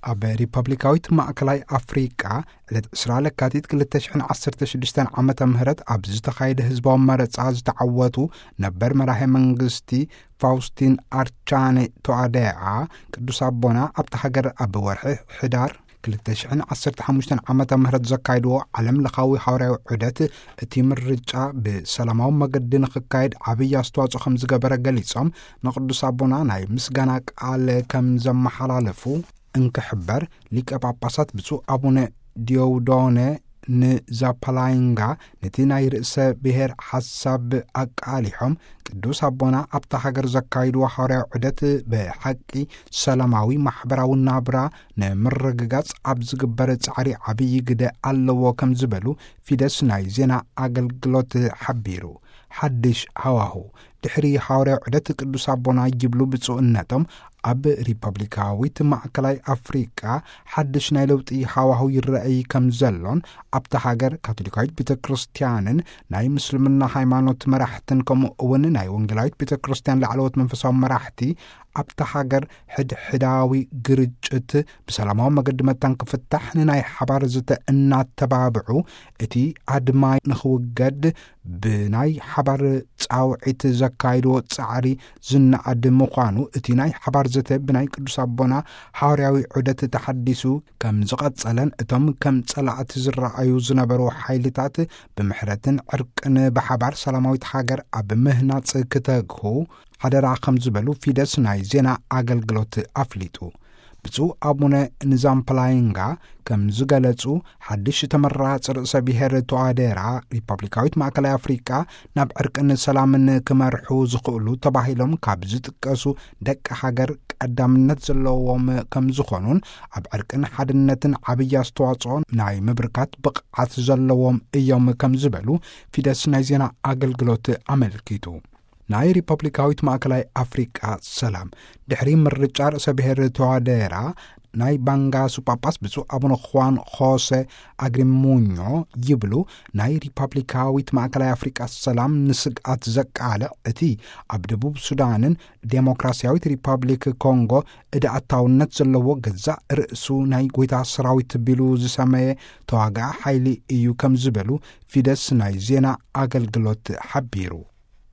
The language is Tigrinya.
ኣብ ሪፐብሊካዊት ማእከላይ ኣፍሪቃ ዕለት ዕስራ ለካቲት ክልተ ሽሕን ዓሰርተ ሽዱሽተን ዓመተ ምህረት ኣብ ዝተኻየደ ህዝባዊ መረጻ ዝተዓወቱ ነበር መራሄ መንግስቲ ፋውስቲን ኣርቻኔ ቶኣዴኣ፣ ቅዱስ ኣቦና ኣብቲ ሃገር ኣብ ወርሒ ሕዳር ክልተ ሽሕን ዓሰርተ ሓሙሽተን ዓመተ ምህረት ዘካይድዎ ዓለም ለኻዊ ሃዋርያዊ ዑደት፣ እቲ ምርጫ ብሰላማዊ መገዲ ንኽካየድ ዓብዪ ኣስተዋጽኦ ከም ዝገበረ ገሊጾም፣ ንቅዱስ ኣቦና ናይ ምስጋና ቃል ከም ዘመሓላለፉ እንክሕበር፣ ሊቀ ጳጳሳት ብፁዕ ኣቡነ ዲዮውዶነ ንዛፓላይንጋ ነቲ ናይ ርእሰ ብሔር ሓሳብ ኣቃሊሖም፣ ቅዱስ ኣቦና ኣብታ ሃገር ዘካይድዎ ሃዋርያዊ ዑደት ብሓቂ ሰላማዊ ማሕበራዊ ናብራ ንምርግጋጽ ኣብ ዝግበር ጻዕሪ ዓብዪ ግደ ኣለዎ ከም ዝበሉ ፊደስ ናይ ዜና ኣገልግሎት ሓቢሩ። ሓድሽ ሃዋሁ ድሕሪ ሃዋርያዊ ዑደት ቅዱስ ኣቦና ይብሉ ብፁዕነቶም፣ ኣብ ሪፐብሊካዊት ማእከላይ ኣፍሪቃ ሓድሽ ናይ ለውጢ ሃዋሁ ይረኣይ ከም ዘሎን፣ ኣብታ ሃገር ካቶሊካዊት ቤተ ክርስቲያንን ናይ ምስልምና ሃይማኖት መራሕትን ከምኡ እውን ናይ ወንጌላዊት ቤተ ክርስቲያን ላዕለዎት መንፈሳዊ መራሕቲ ኣብታ ሃገር ሕድሕዳዊ ግርጭት ብሰላማዊ መገዲ መታን ክፍታሕ ንናይ ሓባር ዝተ እናተባብዑ፣ እቲ ኣድማ ንኽውገድ ብናይ ሓባር ጻውዒት ዘካይድዎ ጻዕሪ ዝነኣድ ምዃኑ፣ እቲ ናይ ሓባር ዘተ ብናይ ቅዱስ ኣቦና ሃዋርያዊ ዑደት ተሓዲሱ ከም ዝቐጸለን፣ እቶም ከም ጸላእቲ ዝረኣዩ ዝነበሩ ሓይልታት ብምሕረትን ዕርቅን ብሓባር ሰላማዊት ሃገር ኣብ ምህናጽ ክተግሁ ሓደራ ከም ዝበሉ ፊደስ ናይ ዜና ኣገልግሎት ኣፍሊጡ። ብፁዕ ኣቡነ ንዛምፕላይንጋ ከም ዝገለጹ፣ ሓድሽ ተመራጺ ርእሰ ብሔር ቶኣዴራ ሪፐብሊካዊት ማእከላይ ኣፍሪቃ ናብ ዕርቅን ሰላምን ክመርሑ ዝኽእሉ ተባሂሎም ካብ ዝጥቀሱ ደቂ ሃገር ቀዳምነት ዘለዎም ከም ዝኾኑን፣ ኣብ ዕርቅን ሓድነትን ዓብዪ ኣስተዋጽኦ ናይ ምብርካት ብቕዓት ዘለዎም እዮም ከም ዝበሉ ፊደስ ናይ ዜና ኣገልግሎት ኣመልኪቱ። ናይ ሪፐብሊካዊት ማእከላይ ኣፍሪቃ ሰላም ድሕሪ ምርጫ ርእሰ ብሔር ተዋደራ ናይ ባንጋሱ ጳጳስ ብፁዕ ኣቡነ ኹዋን ኾሰ ኣግሪሙኞ ይብሉ፣ ናይ ሪፐብሊካዊት ማእከላይ ኣፍሪቃ ሰላም ንስግኣት ዘቃልዕ፣ እቲ ኣብ ደቡብ ሱዳንን ዴሞክራሲያዊት ሪፐብሊክ ኮንጎ እደ ኣታውነት ዘለዎ ገዛእ ርእሱ ናይ ጎይታ ሰራዊት ቢሉ ዝሰመየ ተዋጋኢ ሓይሊ እዩ ከም ዝበሉ ፊደስ ናይ ዜና ኣገልግሎት ሓቢሩ።